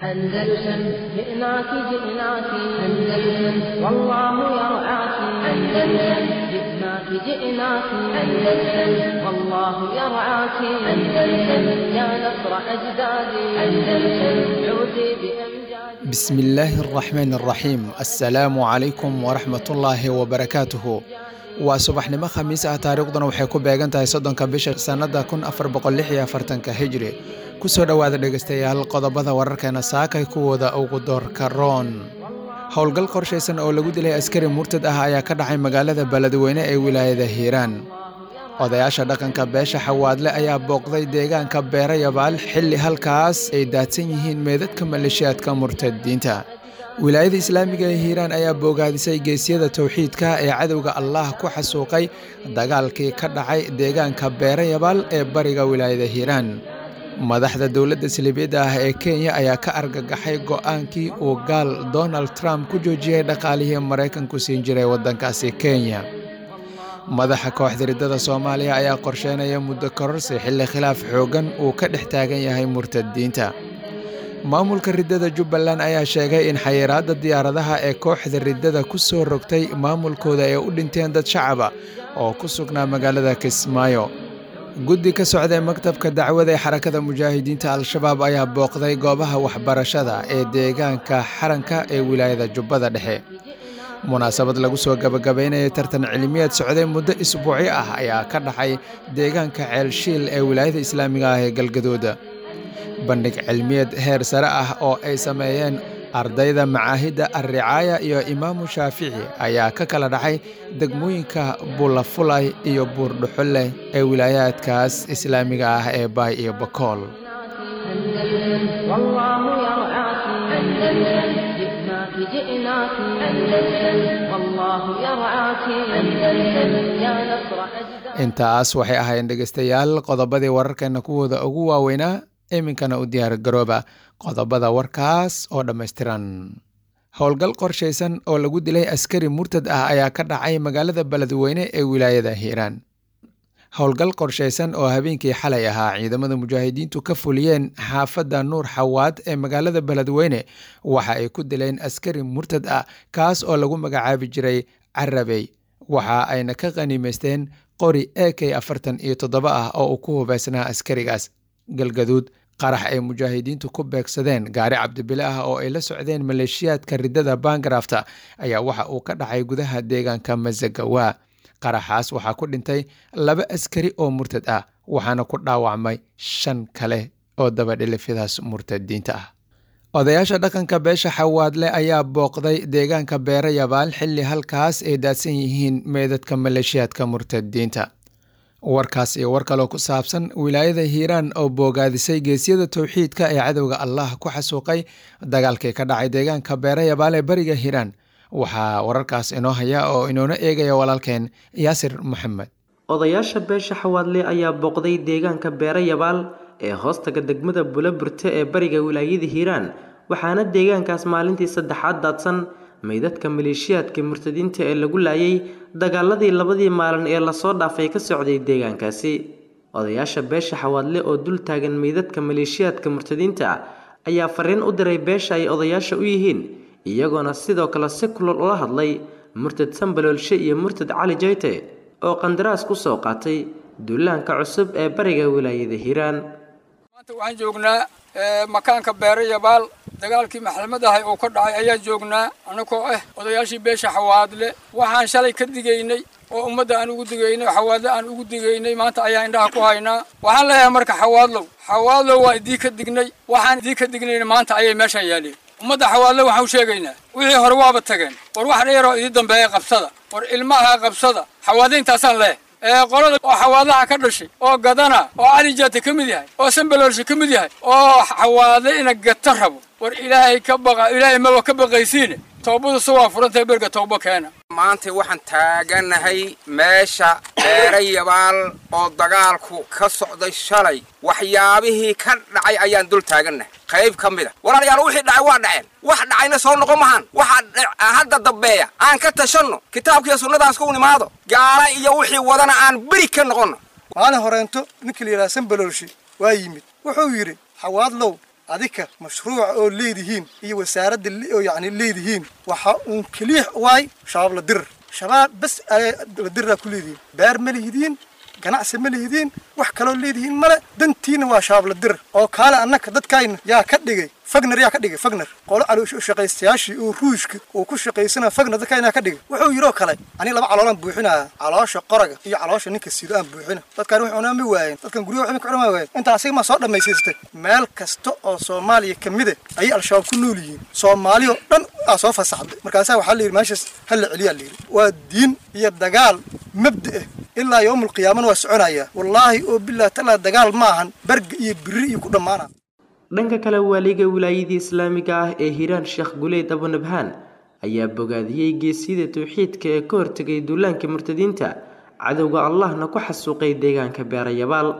أندلسن جئناك جئناك أندلسن والله يرعاك أندلسن جئناك جئناك أندلسن والله يرعاك أندلسن يا نصر أجدادي أندلسن عودي بأمجادي. بسم الله الرحمن الرحيم. Assalaamu calaykum waraxmatullaahi wabarakaatuhu. Waa subaxnimo Khamiis ah, taariikhduna waxay ku beegan tahay 30-ka bisha sannada 1446-ka Hijri. Kusoo dhowaada, dhegeystayaal, qodobada wararkeena saakay kuwooda ugu doorka roon. Howlgal qorshaysan oo lagu dilay askari murtad ah ayaa ka dhacay magaalada Beledweyne ee wilaayada Hiiraan. Odayaasha dhaqanka beesha Xawaadle ayaa booqday deegaanka Beerayabaal xilli halkaas ay daadsan yihiin meedadka maleeshiyaadka murtadiinta. Wilaayada Islaamiga ee Hiiraan ayaa boogaadisay geesyada towxiidka ee cadowga Allah ku xasuuqay dagaalkii ka dhacay deegaanka Beerayabaal ee bariga wilaayada Hiiraan. Madaxda dowladda silibyadda ah ee Kenya ayaa ka argagaxay go'aankii uu gaal Donald Trump ku joojiyey dhaqaalihii Maraykanku siin jiray waddankaasi Kenya. Madaxa kooxda riddada Soomaaliya ayaa qorsheynaya muddo kororsi xilli khilaaf xooggan uu ka dhex taagan yahay murtadiinta. Maamulka riddada Jubbaland ayaa sheegay in xayiraadda diyaaradaha ee kooxda riddada ku soo rogtay maamulkooda ay u dhinteen dad shacaba oo ku sugnaa magaalada Kismaayo. Guddi ka socday maktabka dacwada ee Xarakada Mujaahidiinta Al-Shabaab ayaa booqday goobaha waxbarashada ee deegaanka Xaranka ee wilaayada Jubbada Dhexe. Munaasabad lagu soo gabagabaynayay tartan cilmiyeed socday muddo isbuucyo ah ayaa ka dhacay deegaanka Ceelshiil ee wilaayada Islaamiga ah ee Galgaduud. Bandhig cilmiyeed heer sare ah oo ay sameeyeen ardayda macaahidda Alricaaya iyo Imaamu Shaafici ayaa ka kala dhacay degmooyinka Bulafulay iyo Buurdhuxulle ee wilaayaadkaas islaamiga ah ee Baay iyo Bakool. أندلسن والله يرعاك أندلسن جئناك جئناك أندلسن والله يرعاك أندلسن يا نصر أجدادي. Intaas waxay ahaayeen, dhegeystayaal, qodobadii wararkeena kuwooda ugu waaweynaa. Iminkana u diyaar garooba qodobada warkaas oo dhammaystiran. Howlgal qorshaysan oo lagu dilay askari murtad ah ayaa ka dhacay magaalada Beledweyne ee wilaayada Hiiraan. Howlgal qorshaysan oo habeenkii xalay ahaa ciidamada mujaahidiintu ka fuliyeen xaafadda Nuur Xawaad ee magaalada Beledweyne waxa ay ku dileen askari murtad ah, kaas oo lagu magacaabi jiray Carabey. Waxa ayna ka qaniimaysteen qori AK-47 ah oo uu ku hubeysnaa askarigaas. Galgaduud, qarax ay mujaahidiintu ku beegsadeen gaari cabdibile ah oo ay la socdeen maleeshiyaadka riddada Bangarafta ayaa waxa uu ka dhacay gudaha deegaanka Masagawa. Qaraxaas waxaa ku dhintay laba askari oo murtad ah, waxaana ku dhaawacmay shan kale oo dabadhilifyadaas murtadiinta ah. Odayaasha dhaqanka beesha Xawaadle ayaa booqday deegaanka Beerayabaal xilli halkaas ay daadsan yihiin meedadka maleeshiyaadka murtadiinta. Warkaas iyo war kaloo ku saabsan wilaayada Hiiraan oo boogaadisay geesyada towxiidka ee cadowga Allah ku xasuuqay dagaalkii ka dhacay deegaanka Beerayabaal ee bariga Hiiraan, waxaa wararkaas inoo haya oo inoona eegaya walaalkeen Yaasir Maxamed. Odayaasha beesha Xawaadle ayaa booqday deegaanka Beerayabaal ee hoostaga degmada Buloburte ee bariga wilaayada Hiiraan, waxaana deegaankaas maalintii saddexaad daadsan meydadka maleeshiyaadka murtadiinta ee lagu laayay dagaaladii labadii maalin ee lasoo dhaafay ka socday deegaankaasi. Odayaasha beesha Xawaadle oo dul taagan meydadka maleeshiyaadka murtadiinta ayaa fariin u diray beesha ay odayaasha u yihiin, iyagoona sidoo kale si kulul ula hadlay murtad Sambaloolshe iyo murtad Cali Jayte oo qandaraas ku soo qaatay duulaanka cusub ee bariga wilaayada Hiiraan. Maanta waxaan joognaa makaanka Beerayabaal, dagaalkii maxkamadahay oo ka dhacay ayaan joognaa, annagoo ah odayaashii beesha Xawaadle. Waxaan shalay ka digaynay oo ummadda aan ugu digaynay, Xawaadle aan ugu digaynay, maanta ayaan indhaha ku haynaa. Waxaan leeyahay marka, Xawaadlow, Xawaadlow, waa idii ka dignay. Waxaan idii ka dignayna maanta ayay meeshan yaaleen. Ummadda Xawaadle waxaan u sheegaynaa, wixii hore waaba tageen, war wax dheeroo idii dambeeya qabsada, war ilmaha qabsada. Xawaadle intaasaan leeyahay. Ee qolada oo Xawaadlaha ka dhashay oo gadana oo Cali Jaate ka mid yahay oo Sambaloolshe ka mid yahay oo Xawaadle ina gata rabo, war Ilaahay ka baqa. Ilaahay maba ka baqaysiine, toobadu se waa furantahay, berga toobo keena. Maanta waxaan taaganahay meesha Beerayabaal oo dagaalku ka socday shalay. Waxyaabihii ka dhacay ayaan dul taagannahay qayb ka mid a. Walaalayaal, wixii dhacay waa dhaceen, wax dhacayna soo noqon mahan. Waxa hadda dambeeya aan ka tashanno, kitaabkiiyo sunnadaas ku nimaado, gaala iyo wixii wadana aan beri ka noqonno. Maalin horeento ninka la yidhaha Sambaloolshe waa yimid, wuxuu yidhi: Xawaadlow, Adika mashruuca oo leedihiin iyo wasaaradda oo yacni leedihiin waxa uun keliix waay Shabaab la dirir, Shabaab bas la diriraa ku leedihiin. Beer ma lihidiin, ganacsi ma lihidiin, wax kaloo leedihiin male. Dantiina waa Shabaab la dirir oo kaale. Annaka dadkayna yaa ka dhigay Fagner? Yaa ka dhigay Fagner? Qolo calooshaqaystayaashii oo Ruushka uu ku shaqaysana Fagner dadkayna ka dhigay. Wuxuu yidhoo kale, aniga laba caloolaan buuxinaya, caloosha qoraga iyo caloosha ninka sido aan buuxina. Dadkaan wax cunaa ma waayeen, dadkan guryaha waxba ka cunaa waayeen. Intaa asiga ma soo dhammaysiistay? Meel kasta oo Soomaaliya ka mid ah ayay Al-Shabaab ku nool yihiin. Soomaaliya oo dhan aa soo fasaxday. Markaasaa waxaa la yidhi meeshaas ha la celiyaa la yidhi. Waa diin iyo dagaal mabda ah, ilaa yowmul qiyaamana waa soconaya. Wallaahi oo billahi talaa, dagaal maahan barga iyo biri iyo ku dhammaana. Dhanka kale, waaliga wilaayadii islaamiga ah ee Hiiraan, Sheekh Guleyd Abunabhaan, ayaa bogaadiyey geesiyada towxiidka ee ka hortegay duulaanka murtadiinta, cadowga Allahna ku xasuuqay deegaanka Beerayabaal.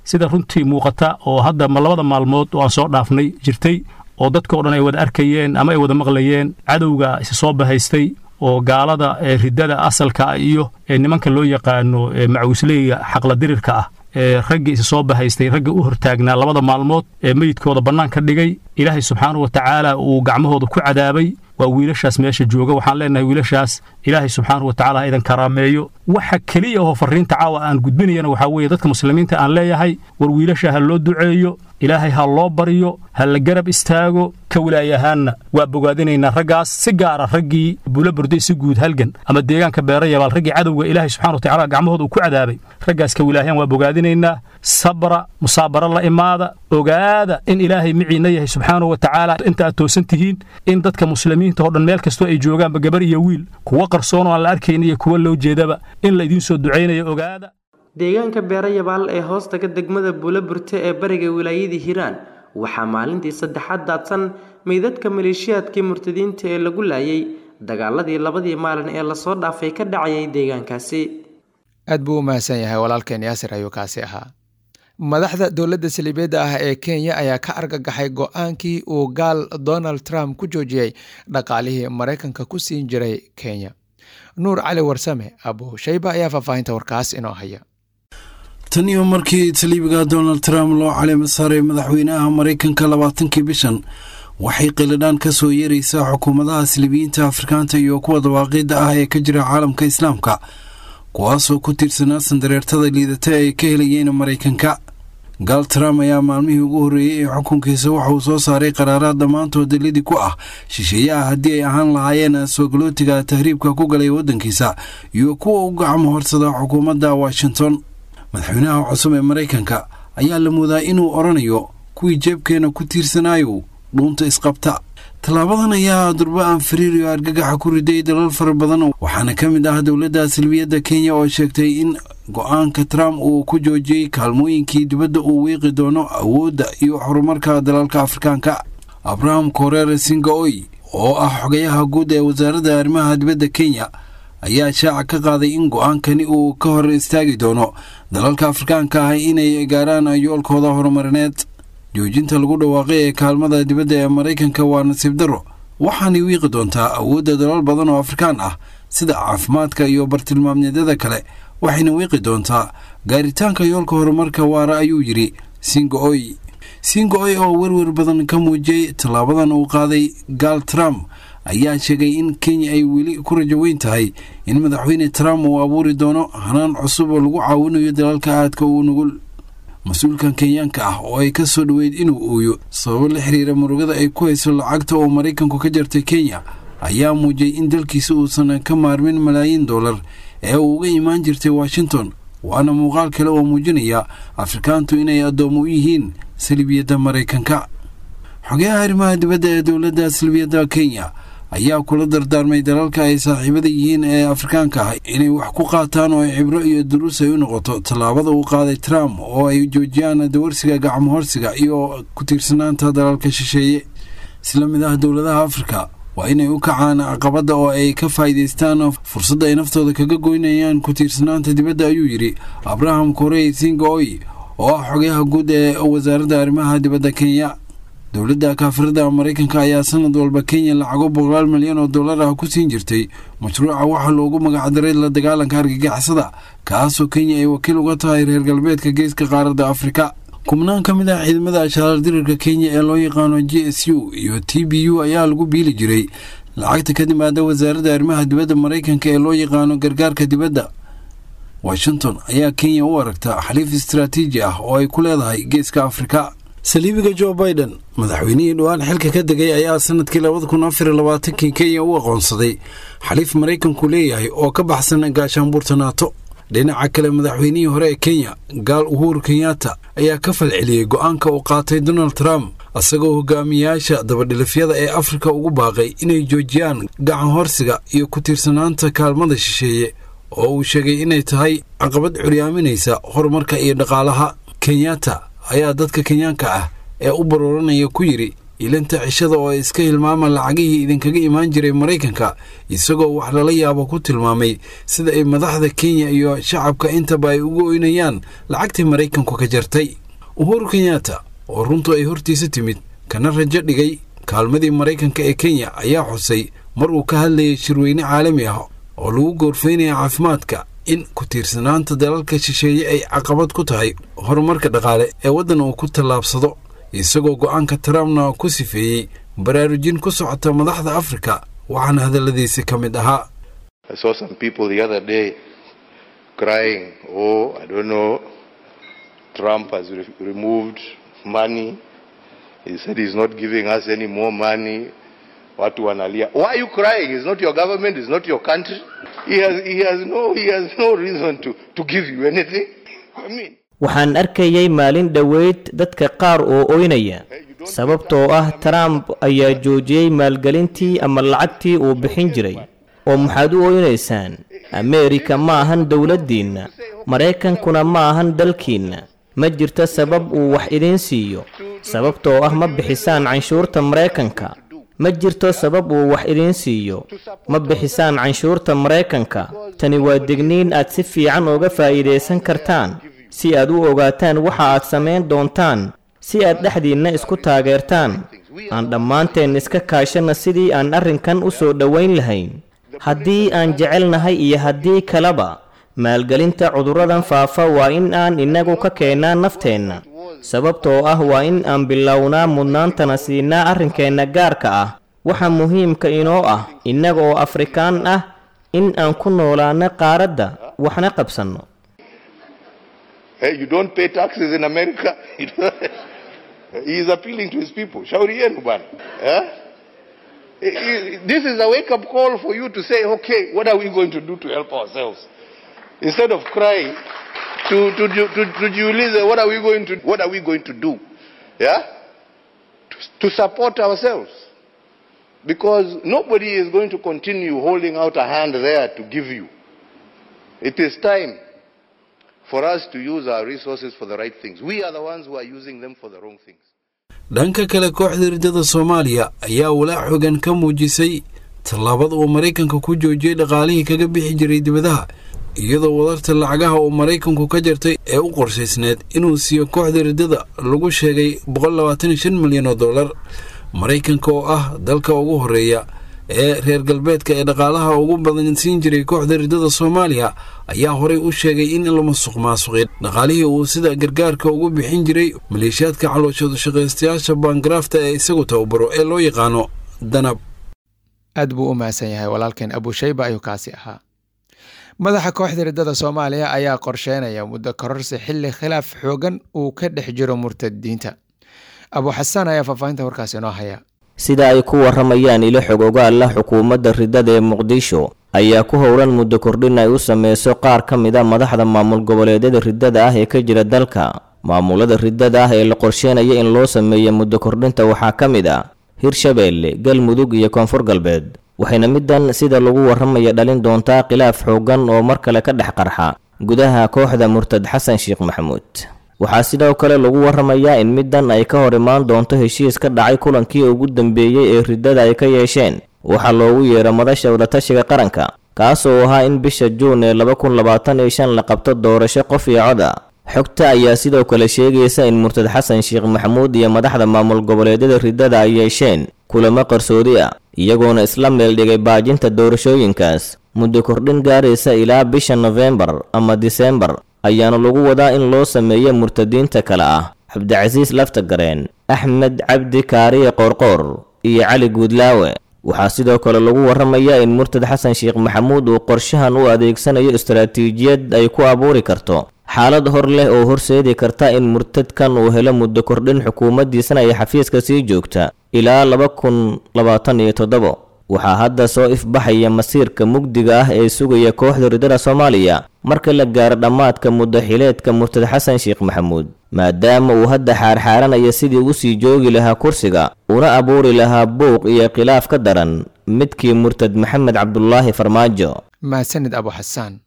Sida runtii muuqata oo hadda ma labada maalmood oo aan soo dhaafnay jirtay oo dadkao dhan ay wada arkayeen ama ay wada maqlayeen, cadowga isa soo bahaystay oo gaalada ee riddada asalka iyo ee nimanka loo yaqaano macawisleyga xaqladirirka ah, ee raggii isa soo bahaystay, ragga u hortaagnaa labada maalmood ee meyidkooda bannaan ka dhigay, Ilaahay subxaanahu wa tacaala uu gacmahooda ku cadaabay, waa wiilashaas meesha jooga. Waxaan leenahay wiilashaas Ilaahay subxaanahu wa tacala ha idan karaameeyo. Waxa keliya oo farriinta caawa aan gudbinayana waxaa weeye dadka muslimiinta aan leeyahay, war wiilasha ha loo duceeyo, Ilaahay ha loo baryo, ha la garab istaago. Ka wilaayahaanna waa bogaadinaynaa raggaas, si gaara raggii Bulo Burday, si guud halgan ama deegaanka Beerayabaal, raggii cadowga Ilaahay subxana wa tacala gacmahooda uu ku cadaabay. Raggaas ka wilaayaan waa bogaadinaynaa. Sabra, musaabaro la imaada, ogaada in Ilaahay miciinna yahay subxaanahu wa tacaala inta aad toosan tihiin, in dadka muslimiinta oo dhan meel kastoo ay joogaanba, gabar iyo wiil, kuwa qarsoon oo aan la arkayn iyo kuwa loo jeedaba, in la idiin soo ducaynayo ogaada. Deegaanka Beerayabaal ee hoostaga degmada Buulaburte ee bariga wilaayadii Hiiraan waxaa maalintii saddexaad daadsan meydadka maleeshiyaadkii murtadiinta ee lagu laayay dagaaladii labadii maalin ee lasoo dhaafay ka dhacayay deegaankaasi. Aad buu u mahadsan yahay walaalkeen Yaasir ayuu kaasi ahaa. Madaxda dowladda saliibeedda ah ee Kenya ayaa ka argagaxay go-aankii uu gaal Donald Trump ku joojiyey dhaqaalihii Maraykanka ku siin jiray Kenya. Nuur Cali Warsame Abu Shayba ayaa faahfaahinta warkaas inoo haya. Tan iyo markii saliibiga Donald Trump loo caleema saaray madaxweynaha Maraykanka 20-kii bishan, waxay qilidhaan ka soo yeeraysaa xukuumadaha saliibiyiinta Afrikaanta iyo kuwa dawaaqiidda ah ee ka jira caalamka Islaamka, kuwaasoo ku tiirsanaa sandareertada liidata ay ka helayeen Maraykanka. Gaal Trump ayaa maalmihii ugu horreeyey ee xukunkiisa waxa uu soo saaray qaraaraad dhammaantood lidii ku ah shisheeyaha, haddii ay ahaan lahaayeen soogolootiga tahriibka ku galay waddankiisa iyo kuwa u gacmo horsada xukuumadda Washington. Madaxweynaha cusub ee Maraykanka ayaa la moodaa inuu odhanayo kuwii jeebkeena ku tiirsanaayo dhuunta isqabta. Tallaabadan ayaa durba aan fariir iyo argagaxa ku riday dalal fara badan, waxaana ka mid ah dowladda salbiyadda Kenya oo sheegtay in go-aanka Trump uu ku joojiyey kaalmooyinkii dibadda uu wiiqi doono awoodda iyo horumarka dalalka Afrikaanka. Abraham Koreere Singaoy oo ah xogayaha guud ee wasaaradda arrimaha dibadda Kenya ayaa shaaca ka qaaday in go-aankani uu ka hor istaagi doono dalalka Afrikaanka ah inay gaaraan yoolkooda horumarineed. Joojinta lagu dhawaaqay ee kaalmada dibadda ee Maraykanka waa nasiib darro, waxaanay wiiqi doontaa awoodda dalal badan oo Afrikaan ah sida caafimaadka iyo bartilmaamyadada kale, waxayna wiiqi doontaa gaaritaanka yoolka horumarka waara, ayuu yidhi Singaoy. Singaoy oo werwer badan ka muujiyey tallaabadan uu qaaday gaal Trump ayaa sheegay in Kenya ay weli ku rajo weyn tahay in madaxweyne Trump uu abuuri doono hanaan cusub oo lagu caawinayo dalalka aadka uu nugul. Mas-uulkan Kenyaanka ah oo ay ka soo dhoweyd inuu ooyo sababo la xiriira murugada ay ku hayso lacagta oo Maraykanku ka jartay Kenya ayaa muujiyey in dalkiisa uusan ka maarmin malaayiin dollar ee uu uga imaan jirtay Washington, waana muuqaal kale oo muujinaya Afrikaantu inay addoommo u yihiin salibiyadda Maraykanka. Xogayaha arrimaha dibadda ee dowladda salbiyadda Kenya ayaa kula dardaarmay dalalka ay saaxiibada yihiin ee Afrikaanka ah inay wax ku qaataan oo ay cibro iyo duruus ay u noqoto tallaabada uu qaaday Trump, oo ay joojiyaan dawarsiga, gacmo horsiga iyo ku tiirsanaanta dalalka shisheeye. Isla mid ah, dowladaha Afrika waa inay u kacaan caqabadda oo ay ka faa'iidaystaan fursadda ay naftooda kaga goynayaan ku tiirsanaanta dibadda, ayuu yidhi Abraham Korey Singaoy oo ah xogayaha guud ee wasaaradda arrimaha dibadda Kenya. Dowladda kaafirada Maraykanka ayaa sanad walba Kenya lacago boqolaal milyan oo dollar ah ku siin jirtay mashruuca waxaa loogu magacdaray la dagaalanka argagixisada, kaasoo Kenya ay wakiil uga tahay reer galbeedka geeska qaaradda Afrika. Kubnaan ka mid ah ciidamada ashaarar dirirka Kenya ee loo yaqaano JSU iyo TBU ayaa lagu biili jiray lacagta ka timaada wasaaradda arrimaha dibadda Maraykanka ee loo yaqaano gargaarka dibadda. Washington ayaa Kenya u aragta xaliif istaraatiiji ah oo ay ku leedahay geeska Afrika. Saliibiga Joe Biden, madaxweynihii dhowaan xilka ka degay, ayaa sanadkii 2024kii Kenya u aqoonsaday xaliif Maraykanku leeyahay oo ka baxsan gaashaanbuurta NATO. Dhinaca kale, madaxweynihii hore ee Kenya Gaal Uhuru Kenyatta ayaa ka falceliyey go'aanka uu qaatay Donald Trump, isagoo hogaamiyayaasha dabadhilifyada ee Afrika ugu baaqay inay joojiyaan gacan horsiga iyo ku tiirsanaanta kaalmada shisheeye oo uu sheegay inay tahay caqabad curyaaminaysa horumarka iyo dhaqaalaha. Kenyatta ayaa dadka Kenyaanka ah ee u barooranaya ku yidhi ilinta cishada oo ay iska hilmaama lacagihii idinkaga imaan jiray Maraykanka, isagoo wax lala yaabo ku tilmaamay sida ay madaxda Kenya iyo shacabka intaba ay ugu oynayaan lacagtii Maraykanku ka jartay. Uhuru Kenyatta oo runtu ay hortiisa timid kana rajo dhigay kaalmadii Maraykanka ee Kenya ayaa xusay mar uu ka hadlayay shirweyne caalami ah oo lagu goorfaynaya caafimaadka in ku tiirsanaanta dalalka shisheeye ay caqabad ku tahay horumarka dhaqaale ee waddan uu ku tallaabsado, isagoo go'aanka Trumpna ku sifeeyey baraarujin ku socota madaxda Afrika. Waxaana hadalladiisi ka mid ahaa: I saw some people the other day crying, "Oh, I don't know, Trump has removed money. He said he's not giving us any more money." Watu wanalia. Why are you crying? It's not your government, it's not your country. He has no reason to give you anything. I mean, Waxaan arkayay maalin dhoweyd dadka qaar oo oynaya sababtoo ah Trump ayaa joojiyey maalgelintii ama lacagtii uu bixin jiray. Oo maxaad u oynaysaan? Ameerika ma ahan dowladdiinna, Maraykankuna ma ahan dalkiinna. Ma jirto sabab uu wax idiin siiyo sababtoo ah ma bixisaan canshuurta Maraykanka. Ma jirto sabab uu wax idiin siiyo, ma bixisaan canshuurta Maraykanka. Tani waa digniin aad si fiican uga faa'iidaysan kartaan si aad u ogaataan waxa aad samayn doontaan, si aad dhexdiinna isku taageertaan. Aan dhammaanteen iska kaashanna sidii aan arrinkan u soo dhowayn lahayn, haddii aan jecelnahay iyo haddii kaleba. Maalgelinta cudurradan faafa waa in aan innagu ka keennaa nafteenna, sababtoo ah waa in aan bilownaa mudnaantana siinaa arrinkeenna gaarka ah, waxa muhiimka inoo ah innaga oo Afrikaan ah in aan ku noolaano qaaradda waxna qabsanno. Hey, you don't pay taxes in America. He is appealing to his people. Shauri yenu bwana. Eh? This is a wake-up call for you to say, "Okay, what are we going to do to help ourselves?" Instead of crying, to jiulize, what are we going to do? Yeah? To support ourselves. Because nobody is going to continue holding out a hand there to give you. It is time for us to use our resources for the right things. We are the ones who are using them for the wrong things. Dhanka kale, kooxda riddada Soomaaliya ayaa walaac xogan ka muujisay tallaabada uu Maraykanka ku joojiyey dhaqaalihii kaga bixi jiray dibadaha, iyadoo wadarta lacagaha uu Maraykanku ka jartay ee u qorshaysneed inuu siiyo kooxda riddada lagu sheegay 125 milyan oo dollar. Maraykanka oo ah dalka ugu horeeya ee reer galbeedka ee dhaqaalaha ugu badan siin jiray kooxda riddada Soomaaliya ayaa horey u sheegay in la musuq maasuqay dhaqaalihii uu sida gargaarka ugu bixin jiray maleeshiyaadka calooshooda shaqaystayaasha baangaraafta ee isagu tababaro ee loo yaqaano Danab. Aad buu u mahadsan yahay walaalkeen Abushayba ayuu kaasi ahaa. Madaxa kooxda riddada Soomaaliya ayaa qorsheynaya muddo kororsi xilli khilaaf xoogan uu ka dhex jiro murtadiinta. Abu Xasaan ayaa faahfaahinta warkaasi inoo haya. Sida ay ku waramayaan ilo xog ogaal ah, xukuumadda riddada ee Muqdisho ayaa ku howlan muddo kordhin ay u sameyso qaar ka mid a madaxda maamul goboleedyada riddada ah ee ka jira dalka. Maamulada riddada ah ee la qorsheynaya in loo sameeyo muddo kordhinta waxaa ka mid ah Hirshabeelle, Galmudug iyo Koonfur Galbeed, waxayna middan sida lagu waramaya dhalin doontaa khilaaf xooggan oo mar kale ka dhex qarxa gudaha kooxda murtad Xasan Sheekh Maxamuud. Waxaa sidoo kale lagu waramayaa in middan ay ka hor imaan doonto heshiis ka dhacay kulankii ugu dambeeyey ee riddada ay ka yeesheen waxaa loogu yeero madasha wadatashiga qaranka, kaasoo ahaa in bisha Juun ee 2025 la qabto doorasho qof iyo cod ah. Xogta ayaa sidoo kale sheegaysa in murtad Xasan Sheekh Maxamuud iyo madaxda maamul goboleedyada riddada ay yeesheen kulamo qarsoodi ah, iyagoona isla meel dhigay baajinta doorashooyinkaas. Muddo kordhin gaaraysa ilaa bisha Nofembar ama Disembar ayaana lagu wadaa in loo sameeyo murtadiinta kale ah Cabdicasiis Laftagareen, Axmed Cabdi Kaariye Qoorqoor iyo Cali Guudlaawe. Waxaa sidoo kale lagu warramayaa in murtad Xasan Sheekh Maxamuud uu qorshahan u adeegsanayo istaraatiijiyad ay ku abuuri karto xaalad hor leh oo horseedi karta in murtadkan uu helo muddo kordhin, xukuumaddiisana ay xafiiska sii joogta ilaa 2027. Waxaa hadda soo ifbaxaya masiirka mugdiga ah ee sugaya kooxda ridada Soomaaliya marka la gaaro dhammaadka muddo xileedka murtad Xasan Sheekh Maxamuud, maadaama uu hadda xaarxaaranaya sidii u sii joogi lahaa kursiga una abuuri lahaa buuq iyo khilaaf ka daran midkii murtad Maxamed Cabdulaahi Farmaajo. Mahadsanid Abu Xasaan.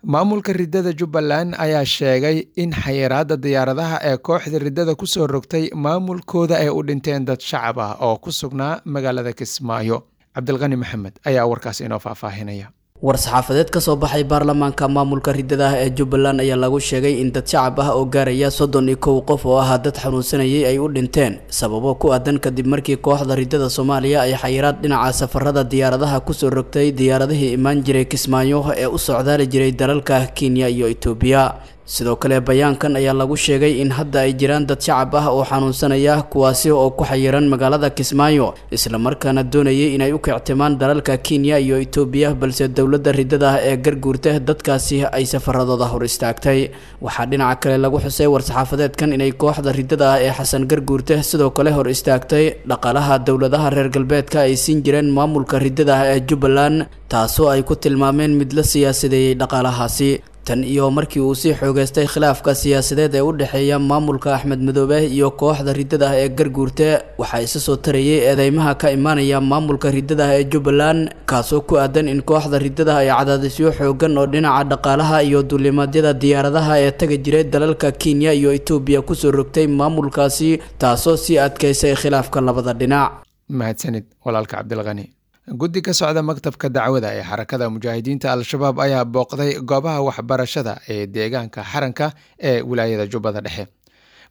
Maamulka ridada Jubbaland ayaa sheegay in xayiraadda diyaaradaha ee kooxda ridada ku soo rogtay maamulkooda ay u dhinteen dad shacab ah oo ku sugnaa magaalada Kismaayo. Cabdilqani Maxamed ayaa warkaas inoo faahfaahinaya. War-saxaafadeed ka soo baxay baarlamaanka maamulka ridada ah ee Jubbaland ayaa lagu sheegay in dad shacab ah oo gaaraya 31 qof oo ahaa dad xanuunsanayay ay u dhinteen sababo ku aadan kadib markii kooxda ridada Soomaaliya ay xayiraad dhinaca safarada diyaaradaha kusoo rogtay diyaaradihii imaan jiray Kismaayo ee u socdaali jiray dalalka Kenya iyo Itoobiya. Sidoo kale bayaankan ayaa lagu sheegay in hadda ay jiraan dad shacab ah oo xanuunsanaya, kuwaasi oo ku xayiran magaalada Kismaayo islamarkaana doonayay inay u kictimaan dalalka Kenya iyo Itoobiya, balse dowladda ridada ah ee garguurta dadkaasi ay safaradooda hor istaagtay. Waxaa dhinaca kale lagu xusay war-saxaafadeedkan inay kooxda ridada ah ee Xasan Garguurte sidoo kale hor istaagtay dhaqaalaha dowladaha reer galbeedka ay siin jireen maamulka ridada ah ee Jubbaland, taasoo ay ku tilmaameen mid la siyaasadeeyey dhaqaalahaasi. Tan iyo markii uu sii xoogeystay khilaafka siyaasadeed ee u dhexeeya maamulka Axmed Madoobe iyo kooxda ridada ah ee Garguurte, waxaa isa soo tarayay eedeymaha ka imaanaya maamulka ridada ah ee Jubbaland, kaasoo ku aadan in kooxda ridada ay cadaadisyo xoogan oo dhinaca dhaqaalaha iyo duulimaadyada diyaaradaha ee taga jiray dalalka Kenya iyo Itoobiya kusoo rogtay maamulkaasi, taasoo sii adkeysay khilaafka labada dhinac. Mahadsanid walaalka Cabdilqani. Guddi ka socda maktabka dacwada ee Xarakada Mujaahidiinta Al-Shabaab ayaa booqday goobaha waxbarashada ee deegaanka Xaranka ee wilaayada Jubbada Dhexe.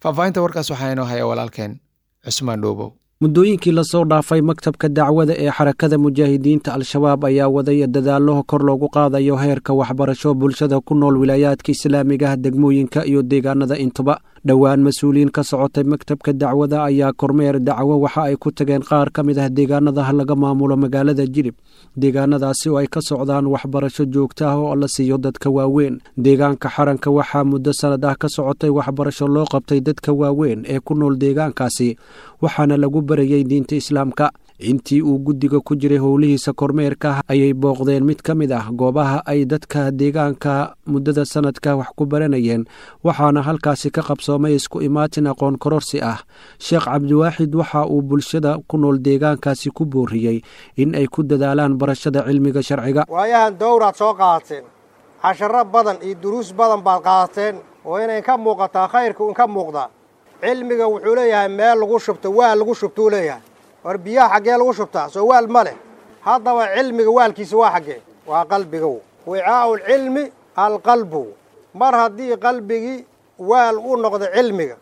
Faahfaahinta warkaas waxaa inoo haya walaalkeen Cusmaan Dhuubow. Muddooyinkii lasoo dhaafay, maktabka dacwada ee Xarakada Mujaahidiinta Al-Shabaab ayaa waday dadaallo kor loogu qaadayo heerka waxbarasho bulshada ku nool wilaayaadka islaamiga ah, degmooyinka iyo deegaanada intuba. Dhowaan mas-uuliyiin ka socotay maktabka dacwada ayaa kormeer dacwo waxa ay ku tageen qaar ka mid ah deegaanada laga maamulo magaalada Jilib, deegaanadaasi oo ay ka socdaan waxbarasho joogto ah oo la siiyo dadka waaweyn. Deegaanka Xaranka waxaa muddo sanad ah ka socotay waxbarasho loo qabtay dadka waaweyn ee ku nool deegaankaasi, waxaana lagu barayay diinta Islaamka. Intii uu guddiga ku jiray howlihiisa kormeerka ayay booqdeen mid ka mid ah goobaha ay dadka deegaanka muddada sanadka wax ku baranayeen, waxaana halkaasi ka qabsoomay isku imaatin aqoon kororsi ah. Sheekh Cabdiwaaxid waxa uu bulshada ku nool deegaankaasi ku booriyey in ay ku dadaalaan barashada cilmiga sharciga. Waayahan dowraad soo qaadateen, casharo badan iyo duruus badan baad qaadateen, oo inay ka muuqataa khayrka un ka muuqdaa. Cilmiga wuxuu leeyahay meel lagu shubto, waal lagu shubtuu leeyahay. War biyaha xaggee lagu shubtaa? Soo waal ma leh. Haddaba cilmiga waalkiisa waa xaggee? Waa qalbigow. Wicaa'u lcilmi alqalbu. Mar haddii qalbigii waal u noqdo cilmiga,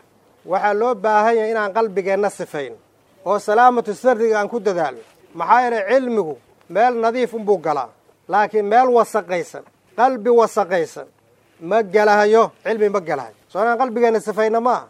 waxaa loo baahan yahay inaan qalbigeenna sifayn oo salaamatu sarriga aan ku dadaalno. Maxaa yeelay cilmigu meel nadiif unbuu galaa, laakiin meel wasaqaysan, qalbi wasaqaysan ma gelahayo, cilmi ma gelahayo. Soo inaan qalbigeenna sifayna maaha?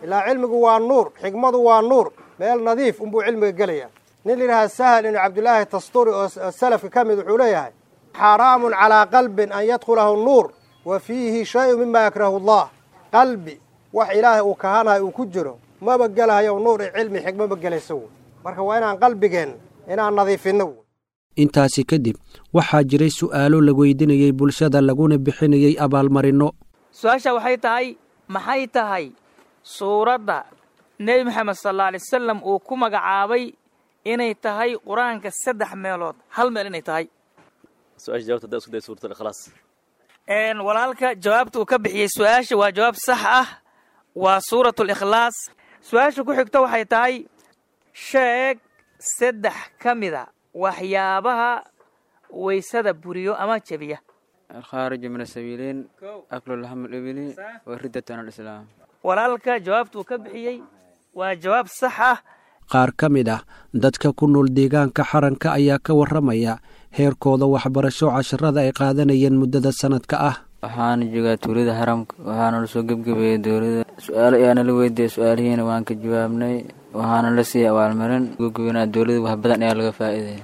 Ilaa cilmigu waa nuur, xikmadu waa nuur, meel nadiif unbuu cilmiga gelaya. Nin la yidhaha Sahal ibnu Cabdillaahi Tasturi oo salafka ka mid wuxuu leeyahay: xaaraamun calaa qalbin an yadkhulahu nuur wa fiihi shayun mima yakrahu Allah. Qalbi wax Ilaahay uu kahanayo uu ku jiro maba gelahayo nuur iyo cilmi, xikmo ma gelayso. Marka waa inaan qalbigeen inaan nadiifinno. Intaasi kadib waxaa jiray su'aalo la weydiinayey bulshada, laguna bixinayey abaalmarinno. Su-aasha waxay tahay: maxay tahay suuradda Nebi Maxamed sal alla alay wasalam uu ku magacaabay inay tahay Qur-aanka saddex meelood hal meel inay tahay? Walaalka jawaabta uu ka bixiyey su-aasha waa jawaab sax ah, waa Suuratu Likhlaas. Su-aasha ku xigta waxay tahay: sheeg saddex ka mida waxyaabaha waysada buriyo ama jebiya. Alkhaariju min asabiiliin, aklu laxmu libili, wa riddatu can alislaam. Walaalka jawaabta uu ka bixiyey waa jawaab sax ah. Qaar ka mid ah dadka ku nool deegaanka Xaranka ayaa ka warramaya heerkooda waxbarasho, casharada ay qaadanayeen muddada sanadka ah. Waxaana joogaa tuulada Haramka. Waxaana la soo gebgabeeyey dowladda. Su-aalo ayaana la weydiiyey, su-aalihiina waan ka jawaabnay. Waxaana la siiyey abaalmarin. Gebgabeynaa dowladda wax badan ayaa laga faa'iidaya.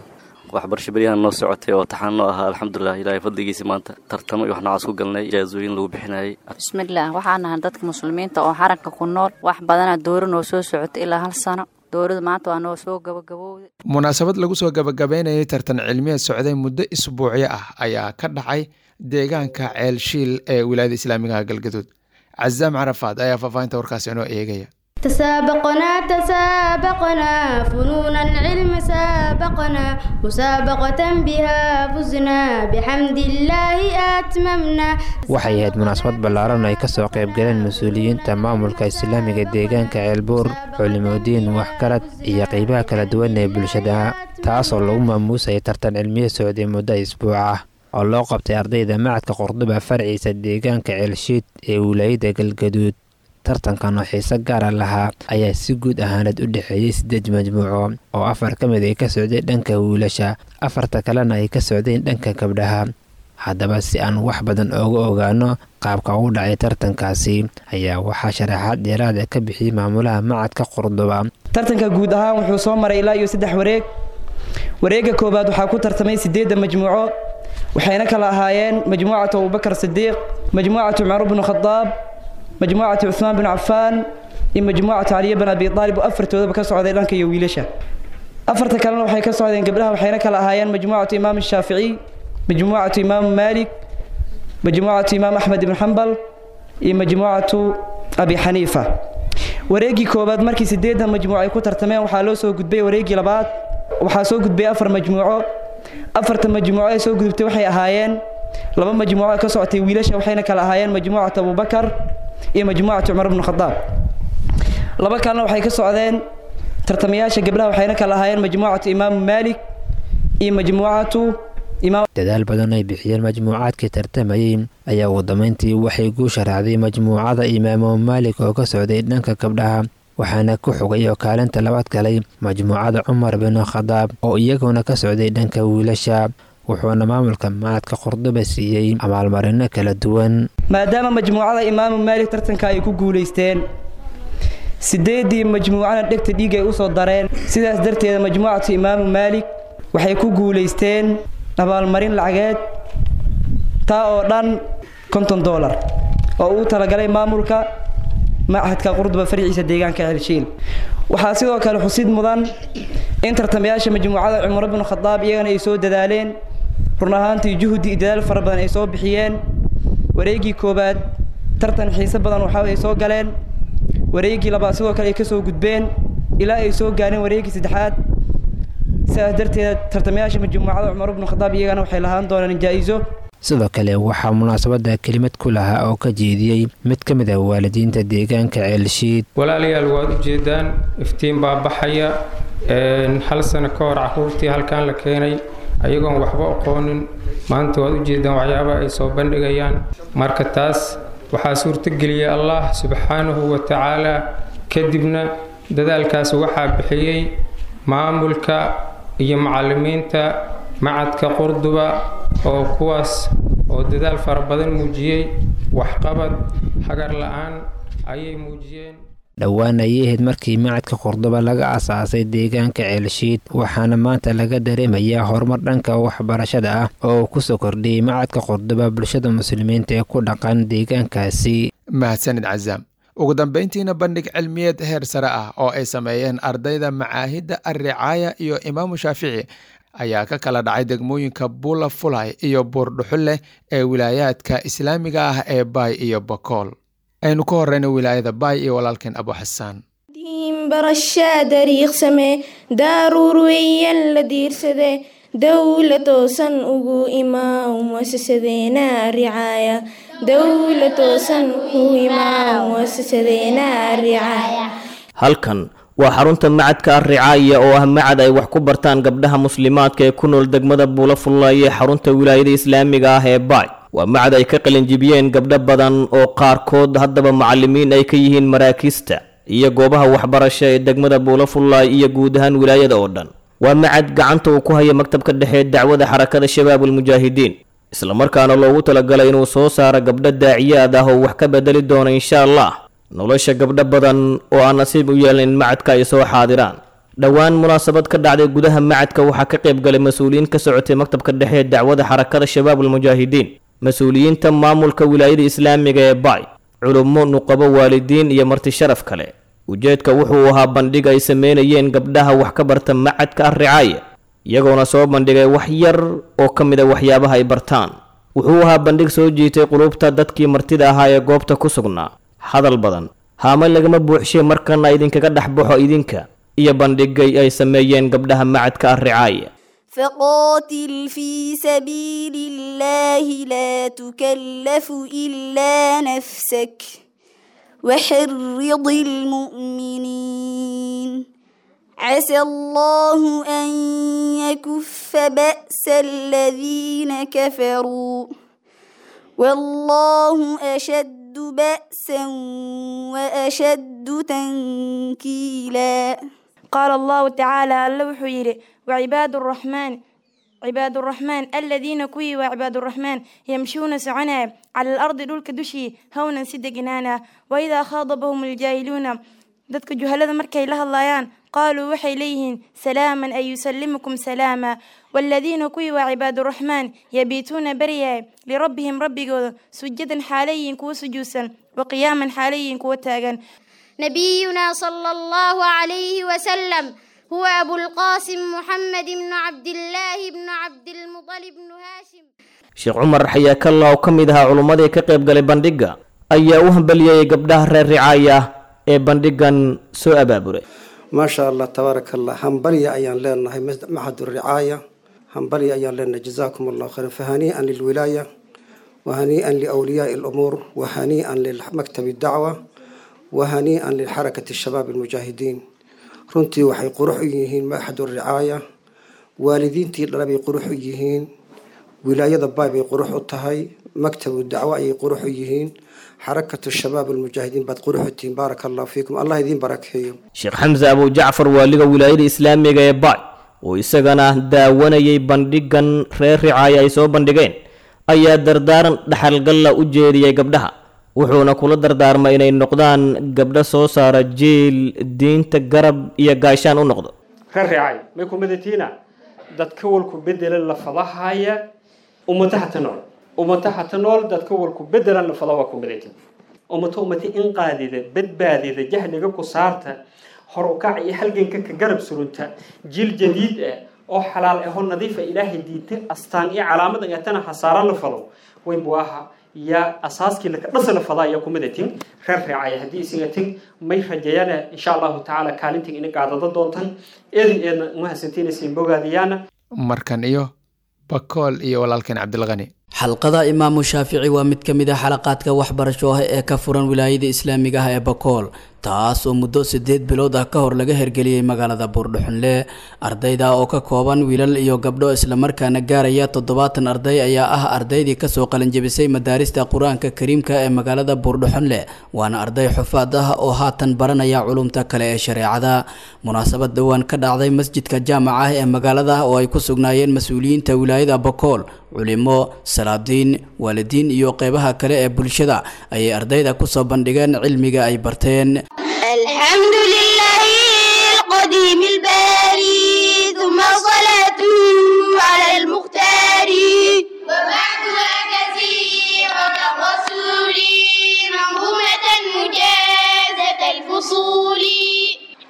Waxbarasho beryahan noo socotay oo taxaan noo ahaa, alxamdulilah, ilaahay fadligiisa maanta tartamo iyo wax noocaas ku galnay, ijaazooyin lagu bixinayay. Bismillaah, waxaan nahay dadka muslimiinta oo xaranka ku nool. Wax badanaa dowra noo soo socotay ilaa 1 sano. Dowrada maanta waa noo soo gabagabowday. Munaasabad lagu soo gabagabeynayay tartan cilmiyeed socday muddo isbuucyo ah ayaa ka dhacay deegaanka Ceelshiil ee wilaayada islaamiga Galgaduud. Cazaam Carafaad ayaa faahfaahinta warkaasi inoo eegaya. تسابقنا تسابقنا فنون العلم سابقنا مسابقة بها فزنا بحمد الله أتممنا. Waxay ahayd munaasabad ballaaran oo ay ka soo qayb galeen mas-uuliyiinta maamulka islaamiga deegaanka Ceelbuur, culimodiin, waxgarad iyo qeybaha kala duwan ee bulshada, taasoo lagu maamuusayay tartan cilmiye socday muddo isbuuc ah oo loo qabtay ardayda macadka Qurduba farciisa deegaanka Ceelshiid ee wilaayada Galgaduud. Tartankan oo xiise gaara lahaa ayaa si guud ahaaneed u dhexeeyey 8 majmuuco oo 4 ka mid ay ka socday dhanka wiilasha, 4ta kalena ay ka socdeen dhanka gabdhaha. Haddaba si aan wax badan ooga ogaano qaabka ugu dhacay tartankaasi ayaa waxaa sharaxaad dheeraada ka bixiyey maamulaha macadka Qurduba. Tartanka guud ahaan wuxuu soo maray ilaa iyo 3 wareeg. Wareegga koowaad waxaa ku tartamay 8 majmuuco, waxayna kala ahaayeen majmuucatu Abubakar Sidiiq, majmuucatu Cumar ibn Khadaab, majmuucatu Cuthmaan bin Cafaan iyo majmuucatu Caliy bin Abi Taalib, oo afartoodaba ka socday dhanka iyo wiilasha. 4ta kalena waxay ka socdeen gabdhaha, waxayna kala ahaayeen majmuucatu Imaam Shaafici, majmuucatu Imaam Maalik, majmuucatu Imaam Axmed ibn Xambal iyo majmuucatu Abi Xaniifa. Wareeggii koowaad markii 8 majmuuc ay ku tartameen waxaa loo soo gudbay wareeggii labaad. Waxaa soo gudbay 4 majmuuco. 4ta majmuuco ee soo gudubtay waxay ahaayeen 2 majmuuco ka socotay wiilasha, waxayna kala ahaayeen majmuucatu Abubakar iyo majmuucatu Cumar ibn Khadaab. 2 kalena waxay ka socdeen tartamayaasha gabdhaha, waxayna kala ahaayeen majmuucatu Imaam Maalik iyo majmuucatu Imaam. Dadaal badan ay bixiyeen majmuucaadkii tartamayey ayaa ugu dambeyntii waxay guusha raacday majmuucada Imaamu Maalik oo ka socday dhanka gabdhaha, waxaana ku xogay oo kaalinta labaad galay majmuucada Cumar bin Khadaab oo iyaguna ka socday dhanka wiilasha, wuxuuna maamulka macadka Qurduba siiyey abaalmarino kala duwan. Maadaama majmuucada Imaamu Maalik tartanka ay ku guuleysteen, 8dii majmuucana dhegta dhiig ay u soo dareen, sidaas darteeda majmuucatu Imaamu Maalik waxay ku guuleysteen abaalmarin lacageed taa oo dhan $50 oo uu talagalay maamulka machadka Qurduba farciisa deegaanka Ceelshiil. Waxaa sidoo kale xusid mudan in tartamayaasha majmuucada Cumar ibn Khadaab iyagana ay soo dadaaleen, run ahaantii juhdi iyo dadaal fara badan ay soo bixiyeen. Wareeggii koowaad tartan xiise badan waxa ay soo galeen, wareeggii labaad sidoo kale ay ka soo gudbeen ilaa ay soo gaareen wareeggii saddexaad. Sidaas darteed tartamayaasha majmuucada Cumar ibn Khadaab iyagana waxay lahaan doonaan jaa'iso. Sidoo kale waxaa munaasabada kelimad ku lahaa oo ka jeediyey mid ka mid ah waalidiinta deegaanka Ceelshiid. Walaalayaal, waad u jeedaan iftiin baa baxaya. 1 sano ka hor caruurtii halkan la keenay ayagoon waxba aqoonin, maanta waad u jeedaan waxyaabaha ay soo bandhigayaan. Marka taas waxaa suurtageliyay Allah subxaanahu wa tacaala, kadibna dadaalkaas waxaa bixiyey maamulka iyo macallimiinta macadka Qurduba oo kuwaas oo dadaal fara badan muujiyey, waxqabad hagar la'aan ayay muujiyeen. Dhowaan ayay ahayd markii macadka Qurduba laga aasaasay deegaanka Ceelshiid, waxaana maanta laga dareemayaa horumar dhanka waxbarashada ah oo uu kusoo kordhiyey macadka Qurduba bulshada muslimiinta ee ku dhaqan deegaankaasi. Mahadsanid Cazaam. Ugu dambeyntiina bandhig cilmiyeed heer sare ah oo ay sameeyeen ardayda macaahidda Alricaaya iyo Imaamu Shaafici ayaa ka kala dhacay degmooyinka Buula Fulay iyo Buurdhuxulle ee wilaayaadka islaamiga ah ee Baay iyo Bakool. Aynu ka horeyna wilaayada Baay iyo walaalkeen Abu Xasaan. Barashaa dariiqsame daaruur weeyaan la diirsade dowla toosan ugu imaa muasasadeena ricaaya dowla toosan ugu imaa muasasadeena ricaaya. Halkan waa xarunta macadka Alricaaya oo ah macad ay wax ku bartaan gabdhaha muslimaadka ee ku nool degmada Buula Fullaay ee xarunta wilaayada islaamiga ah ee Baay. Waa macad ay ka qalinjibiyeen gabdho badan oo qaarkood haddaba macallimiin ay ka yihiin maraakiista iyo goobaha waxbarasho ee degmada Buula Fullaay iyo guud ahaan wilaayada oo dhan. Waa macad gacanta uu ku haya maktabka dhexe ee dacwada xarakada Shabaabul Mujaahidiin. Islamarkaana loogu talagalay inuu soo saaro gabdho daaciyaad ah oo wax ka bedeli doona insha Allah nolosha gabdho badan oo aan nasiib u yeelin in macadka ay soo xaadiraan. Dhowaan munaasabad ka dhacday gudaha macadka waxaa ka qayb galay mas-uuliyiin ka socotay maktabka dhexe ee dacwada xarakada Shabaabul Mujaahidiin, mas-uuliyiinta maamulka wilaayada islaamiga ee Baay, culummo, nuqabo, waalidiin iyo marti sharaf kale. Ujeedka wuxuu ahaa bandhig ay sameynayeen gabdhaha wax ka barta macadka Ar-Ricaaya, iyagoona soo bandhigay wax yar oo ka mid a waxyaabaha ay bartaan. Wuxuu ahaa bandhig soo jiitay qulubta dadkii martida ahaa ee goobta ku sugnaa. Hadal badan haama lagama buuxshay, markana idinkaga dhex baxo idinka iyo bandhigay ay sameeyeen gabdhaha macadka Ar-Ricaaya. فقاتل في سبيل الله لا تكلف إلا نفسك وحرض المؤمنين عسى الله أن يكف بأس الذين كفروا والله أشد بأسا وأشد تنكيلا. قال الله تعالى alla wuxuu yidhi وعباد الرحمن عباد الرحمن الذين kuwii waa عباد الرحمن يمشون soconaya على الأرض dhulka dushii hawnan si deganaana وإذا خاضبهم الجاهلون dadka juhalada markay la hadlayaan qaaluu waxay leeyihiin salaaman ay yusallimukum salaama. Waaladiina kuwii waa cibaaduraxmaan yabiituuna baryahay lirabbihim rabbigooda sujadan xaalayiin kuwa sujuudsan wa qiyaaman xaalayiin kuwa taagan. نبينا صلى الله عليه وسلم هو أبو القاسم محمد بن عبد الله بن عبد المطلب بن هاشم. Sheekh Cumar Xayaakalla oo ka mid ahaa culummadii ka qayb galay bandhigga ayaa u hambalyeeyay gabdhaha reer Ricaaya ee bandhiggan soo abaaburay. Maasha Allah, tabaaraka Allah, hambalya ayaan leenahay maxad ricaaya, hambalya ayaan leenahay, jazaakum Allah khayran. Fahanii'an lilwilaaya wahanii'an liawliyaai alumuur wahanii'an limaktabi dacwa wahanii'an lilxarakati shabaab almujaahidiin. Runtii waxay qurux u yihiin maxad ricaaya, waalidiintii dhala bay qurux u yihiin, wilaayada Baay bay qurux u tahay, maktabu dacwo ayay qurux u yihiin, xarakatu shabaab almujaahidiin baad qurux u tihiin. Baaraka allahu fiikum, Allah idiin barakeeyo. Sheekh Xamse Abu Jacfar, waaliga wilaayada islaamiga ee Baay oo isagana daawanayay bandhiggan reer Ricaaya ay soo bandhigeen, ayaa dardaaran dhaxalgalla u jeediyey gabdhaha, wuxuuna kula dardaarmay inay noqdaan gabdho soo saara jiil diinta garab iyo gaashaan u noqdo. Reer Ricaaya may ku midatiina dadka walku bedela lafadahaya ummadaha ta nool, ummadaha ta nool dadka walku bedelan lafada waa ku midatin ummato ummati inqaadida badbaadida jahliga ku saarta hor u kac iyo halganka ka garab surunta jiil jadiid ah oo xalaal ah oo nadiif ah Ilaahay diinta astaan iyo calaamad ay tana xasaaran la falo weyn buaha ya asaaskii laka dhasa la fadaa ayaa ku midatin reer Ricaaya. Haddii isingatin may rajayana insha Allahu tacaala kaalintin ina qaadada doontan eedin eedna umahadsantiinaysiin bogaadiyaana. Markan iyo Bakool iyo walaalkeen Cabdilqani. Xalqada Imaamu Shaafici waa mid ka mid ah xalaqaadka waxbarasho ah ee ka furan wilaayada islaamiga ah ee Bakool, taas oo muddo 8 bilood ah ka hor laga hergeliyey magaalada Buurdhuxunle. Ardayda oo ka kooban wiilal iyo gabdho islamarkaana gaaraya 70 arday ayaa ah ardaydii kasoo qalinjebisay madaarista Qur-aanka Kariimka ee magaalada Buurdhuxunle, waana arday xufaad ah oo haatan baranaya culumta kale ee shareecada. Munaasabad dhowaan ka dhacday masjidka jaamaca ah ee magaalada oo ay ku sugnaayeen mas-uuliyiinta wilaayada Bakool, culimo, salaadiin, waalidiin iyo qeybaha kale ee bulshada ayay ardayda kusoo bandhigeen cilmiga ay barteen. الحمد لله القديم الباري ثم صلاته على المختار وبعدها كثيرة الرسول منظومة مجازة الفصول.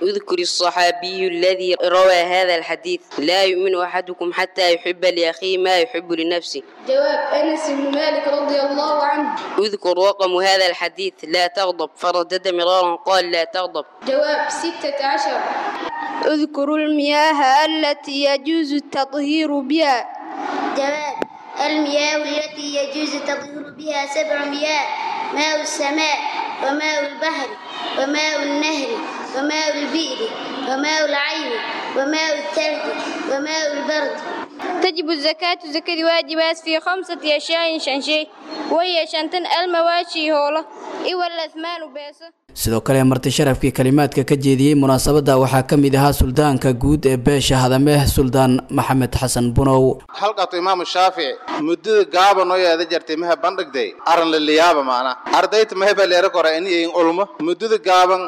اذكر الصحابي الذي روى هذا الحديث: لا يؤمن أحدكم حتى يحب لأخيه ما يحب لنفسه. جواب أنس بن مالك رضي الله عنه. اذكر رقم هذا الحديث: لا تغضب، فردد مرارا قال لا تغضب. جواب 16. اذكروا المياه التي يجوز التطهير بها. جواب المياه التي يجوز التطهير بها 7 مياه: ماء السماء وماء البحر وماء النهر وماء البئر وماء العين وماء الثلج وماء البرد. تجب الزكاة زكاة واجبات في 5 أشياء شنشي، وهي شنتن المواشي هولا إوى الأثمان بيسة. Sidoo kale marti sharafkii kalimaadka ka jeediyey munaasabadda waxaa ka mid ahaa suldaanka guud ee beesha Hadameh, Suldaan Maxamed Xasan Bunow. Halqatu Imaamu Shaafici muddada gaaba noo yeeda jartay maha bandhigday aran laliyaaba maana ardayta maheba leera kora iniyin ulmo muddada gaaban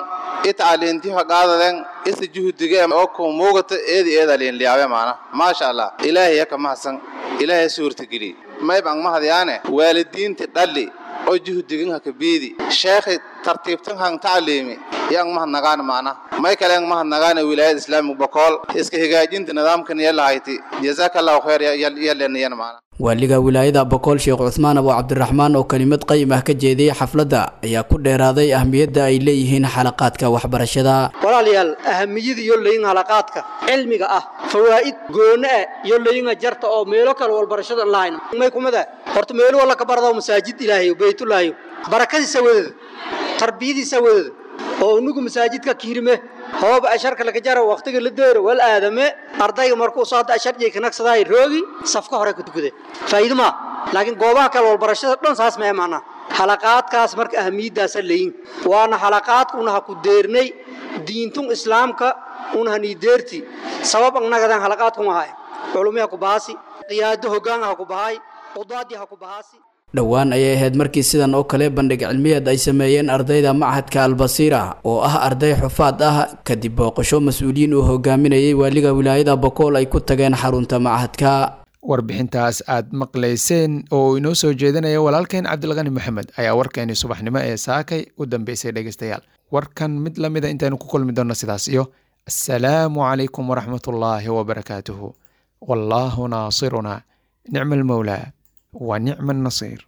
itcaliintiha qaadaden isa juhdiga oo ku muugata eedi eeda liinliyaabe maana maasha Allah Ilaahay ka mahadsan, Ilaahay suurtageli mayb ang mahadyaane waalidiinta dhalli oo juhdigan ha ka biidi sheekhi tartiibtan han tacliimi yang mahadnagaan maana may kale yang mahadnagaane wilaayada Islaamiga Bokool iska hagaajinta nidaamkan yalahayti jazaakallahu khayr yaleenayan maana. Waaliga wilaayada Bokool, Sheekh Cuthmaan Abu Cabdiraxmaan, oo kelimad qayim ah ka jeediyey xafladda ayaa ku dheeraaday ahmiyadda ay leeyihiin xalaqaadka waxbarashada. Walaalayaal, ahamiyada iyo leeyin halaqaadka cilmiga ah fawaa'id gooni ah iyo leeyinga jarta oo meelo kale walbarashada lahayn may kumada horta meelo wala ka barado masaajid Ilaahay baytullaahi barakadiisa wadada tarbiyadiisa wadada oo unugu masaajidka kiirme hoob asharka laga jaro waqtiga la deero wal aadame ardayga markuu soo hadda ashar jey kanaqsaday roogi safka hore ku tukude faa'iido ma laakiin goobaha kale walbarashada dhan saas ma imaana halaqaadkaas. Marka ahmiyadaas leeyin waana halaqaadka una ha ku deernay diintun Islaamka una hani deerti sabab annagadan halaqaadku ma hay culumiha ku baasi qiyaado hoggaan ha ku bahay qudaadi ha ku bahaasi. Dhowaan ayay ahayd markii sidan oo kale bandhig cilmiyeed ay sameeyeen ardayda machadka Albasiira oo ah arday xufaad ah, kadib booqasho mas-uuliyiin uu hogaaminayay waaliga wilaayada Bokool ay ku tageen xarunta machadka. Warbixintaas aad maqlayseen oo uu inoo soo jeedinaya walaalkeen Cabdilqani Maxamed ayaa warkeenii subaxnimo ee saakay u dambeysay. Dhegeystayaal, warkan mid la mida intaynu ku kulmi doonno, sidaas iyo assalaamu calaykum waraxmatullaahi wabarakaatuhu. Wallaahu naasiruna, nicma almawlaa wa nicma annasiir.